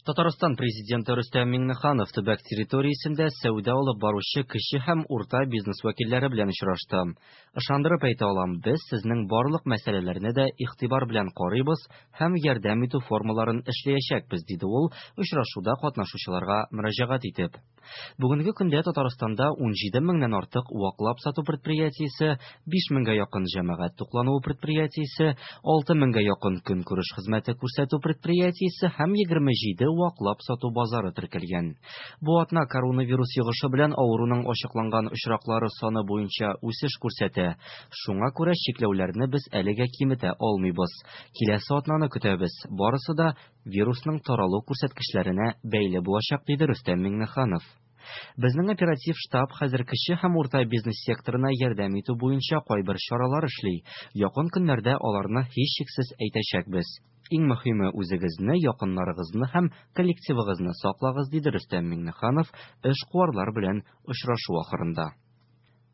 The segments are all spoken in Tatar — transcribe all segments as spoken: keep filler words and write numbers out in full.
Татарстан Президенты Рөстәм Миңнеханов төбәк территориясендә сәүдә алып баручы кече һәм урта бизнес вәкилләре белән очрашты. Ышандырып әйтә алам, без сезнең барлык мәсьәләләрне дә игътибар белән карыйбыз һәм ярдәм итү формаларын эшләячәкбез, диде ул очрашуда катнашучыларга мөрәҗәгать итеп. Бүгенге көндә Татарстанда унҗиде меңнән артык ваклап сату предприятиесе, биш меңгә якын җәмәгать туклануы предприятиесе, алты меңгә якын көнкүреш хезмәте күрсәтү предприятиесе һәм егерме җиде ваклап сату базары теркәлгән. Бу атна коронавирус йогышы белән авыруның ачыкланган очраклары саны буенча үсеш күрсәтә. Шуңа күрә чикләүләрне без әлегә киметә алмыйбыз. Киләсе атнаны көтәбез. Барысы да вирусның таралу күрсәткечләренә бәйле булачак, диде Рөстәм Миңнеханов. Безнең оператив штаб хәзер кече һәм урта бизнес секторына ярдәм итү буенча кайбер чаралар эшли. Якын көннәрдә аларны һичшиксез әйтәчәкбез. Иң мөһиме үзегезне, якыннарыгызны һәм коллективыгызны саклагыз, диде Рөстәм Миңнеханов эшкуарлар белән очрашу ахырында.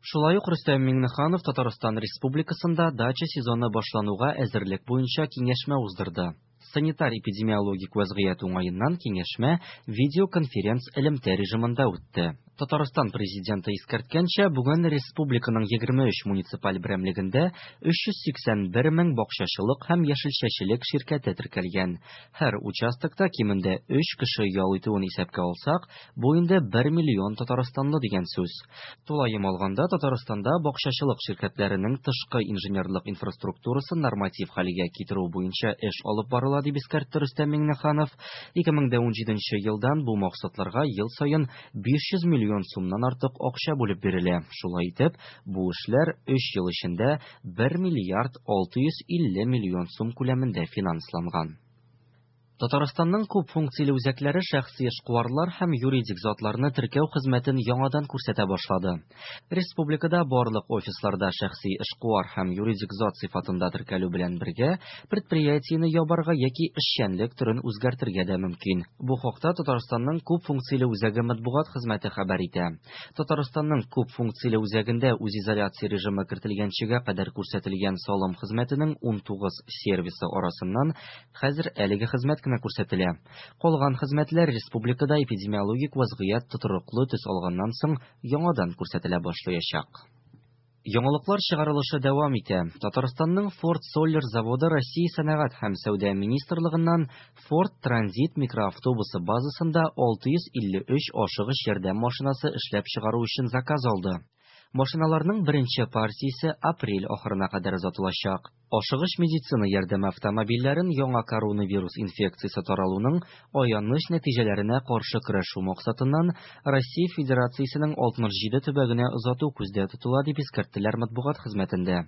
Шулай ук Рөстәм Миңнеханов Татарстан Республикасында дача сезоны башлануга әзерлек буенча киңәшмә уздырды. Санитар-эпидемиологик вәзгыять уңаеннан киңәшмә видеоконференц элемтә режимында үтте. Татарстан президенты искәрткәнчә, бүген республиканың егерме өч муниципаль берәмлегендә өч йөз сиксән бер мең бакчачылык һәм яшелчәчелек ширкәте теркәлгән. Һәр участокта кимендә өч кеше ял итүен исәпкә алсак, бу инде бер миллион татарстанлы дигән сүз. Тулаем алганда, Татарстанда бакчачылык ширкәтләренең тышкы инженерлык инфраструктурасын норматив хәлгә китерү буенча эш алып барыла, дип искәртте Рөстәм Миңнеханов. Ике мең дә унҗиденче елдан бу максатларга ел саен биш йөз миллион сумнан артык акча бүлеп бирелә. Шулай итеп, бу эшләр өч ел эчендә бер миллиард алты йөз илле миллион сум күләмендә финансланган. Татарстанның күп функцияле үзәкләре шәхси эшкуарлар һәм юридик затларны теркәү хезмәтен яңадан күрсәтә башлады. Республикада барлык офисларда шәхси эшкуар һәм юридик зат сыйфатында теркәлү белән бергә предприятиене ябарга яки эшчәнлек төрен үзгәртергә дә мөмкин. Бу хакта Татарстанның күп функцияле үзәге матбугат хезмәте хәбәр итә. Татарстанның күп функцияле үзәгендә үзизоляция режимы кертелгәнчегә кадәр күрсәтелгән салым хезмәтенең унтугыз сервисы арасыннан хәзер әлеге хезмәт кенә күрсәтелә. Калган хезмәтләр республикада эпидемиологик вазгыять тотрыклы төс алганнан соң яңадан күрсәтелә башлаячак. Яңалыклар чыгарылышы дәвам итә. Татарстанның Ford Sollers заводы Россия сәнәгать һәм сәүдә министрлыгыннан Ford Transit микроавтобусы базасында алты йөз илле өч ашыгыч ярдәм машинасы эшләп чыгару өчен заказ алды. Машиналарның беренче партиясе апрель ахырына кадәр озатылачак. Ашыгыч медицина ярдәме автомобильләрен яңа коронавирус инфекциясе таралуның аяныч нәтиҗәләренә каршы көрәшү максатыннан Россия Федерациясенең алтмыш җиде төбәгенә озату күздә тотыла, дип искәрттеләр матбугат хезмәтендә.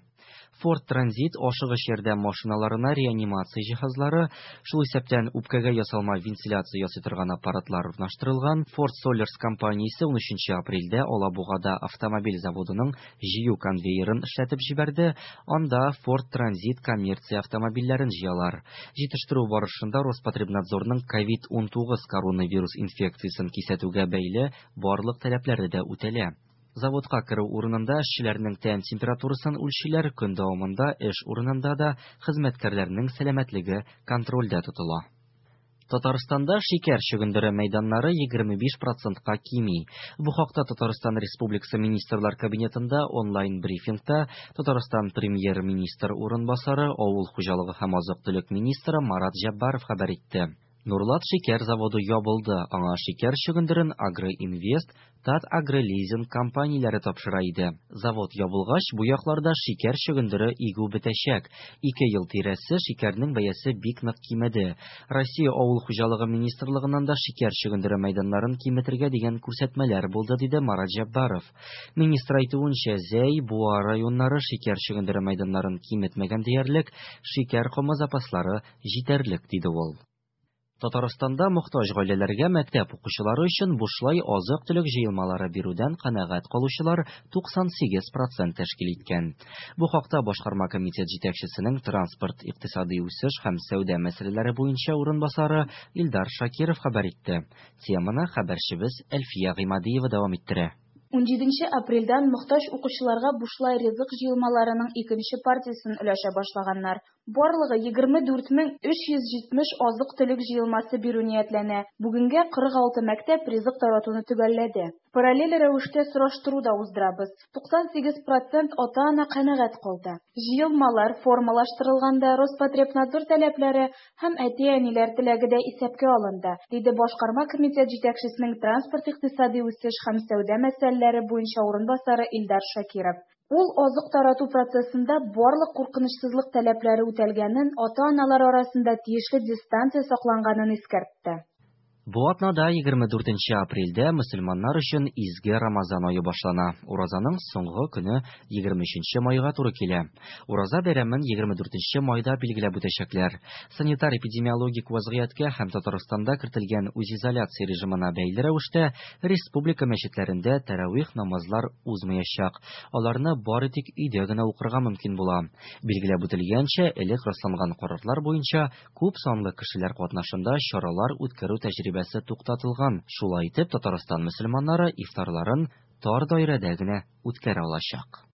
Ford Transit ашыгыч ярдәм машиналарына реанимация җиһазлары, шул исәптән үпкәгә ясалма вентиляция ясый торган аппаратлар урнаштырылган. Ford Sollers компаниясе унөченче апрельдә Алабугада автомобиль заводының җыю конвейерын эшләтеп җибәрде. Анда Ford Transit коммерция автомобильләрен җыялар. Җитештерү барышында Роспотребнадзорның ковид унтугыз коронавирус инфекциясен кисәтүгә бәйле барлык таләпләре дә үтәлә. Заводка керү урынында эшчеләрнең тән температурасын үлчиләр, көн дәвамында эш урынында да хезмәткәрләрнең сәламәтлеге контрольдә тотыла. Татарстанда шикәр чөгендере мәйданнары егерме биш процентка кими. Бу хакта Татарстан Республикасы Министрлар Кабинетында онлайн брифингта Татарстан премьер-министр урынбасары, авыл хуҗалыгы һәм азык-төлек министры Марат Җәббаров хәбәр итте. Нурлат шикәр заводы ябылды. Аңа шикәр чөгендерен Агроинвест, Татагролизинг компанияләре тапшыра иде. Завод ябылгач, бу якларда шикәр чөгендере игү бетәчәк. Ике ел тирәсе шикәрнең бәясе бик нык кимеде. Россия Авыл хуҗалыгы министрлыгыннан да шикәр чөгендере мәйданнарын киметергә дигән күрсәтмәләр булды, диде Марат Җәббаров. Министр әйтүенчә, Зәй, Буа районнары шикәр чөгендере мәйданнарын киметмәгән диярлек, шикәр комы запаслары җитәрлек, диде ул. Татарстанда мохтаҗ гаиләләргә мәктәп укучылары өчен бушлай азык-төлек җыелмалары бирүдән канәгать калучылар туксан сигез процент тәшкил иткән. Бу хакта Башкарма комитет җитәкчесенең транспорт, икътисади үсеш һәм сәүдә мәсьәләләре буенча урынбасары Илдар Шакиров хәбәр итте. Теманы хәбәрчебез Әлфия Гыймадиева дәвам иттерә. Унҗиденче апрельдән мохтаҗ укучыларга бушлай ризык җыелмаларының икенче партиясен өләшә башлаганнар. Барлыгы егерме дүрт мең өч йөз җитмеш азык-төлек җыелмасы бирү ниятләнә, бүгенгә кырык алты мәктәп ризык таратуны төгәлләде. Параллель рәвештә сораштыру да уздырабыз, туксан сигез процент ата-ана канәгать калды. Җыелмалар формалаштырылганда Роспотребнадзор таләпләре һәм әти-әниләр теләге дә исәпкә алынды, диде Башкарма комитет җитәкчесенең транспорт-икътисадый үсеш һәм сәүдә мәсьәләләре буенча урынбасары Илдар Шакиров. Ул азык тарату процессында барлык куркынычсызлык таләпләре үтәлгәнен, ата-аналар арасында тиешле дистанция сакланганын искәртте. Бу атнада егерме дүртенче апрельдә мөселманнар өчен изге Рамазан ае башлана. Уразаның соңгы көне егерме өченче майга туры килә. Ураза бәйрәмен егерме дүртенче майда билгеләп үтәчәкләр. Санитар-эпидемиологик вазгыятькә һәм Татарстанда кертелгән үзизоляция режимына бәйле рәвештә республика мәчетләрендә тәравих намазлар узмаячак. Аларны бары тик өйдә генә укырга мөмкин була. Билгеләп үтелгәнчә, элек расланган карарлар буенча күп санлы кешеләр катнашында чаралар үткәрү тәҗрибәсе туктатылган. Шулай итеп, Татарстан мөселманнары ифтарларын тар даирәдә генә үткәрә алачак.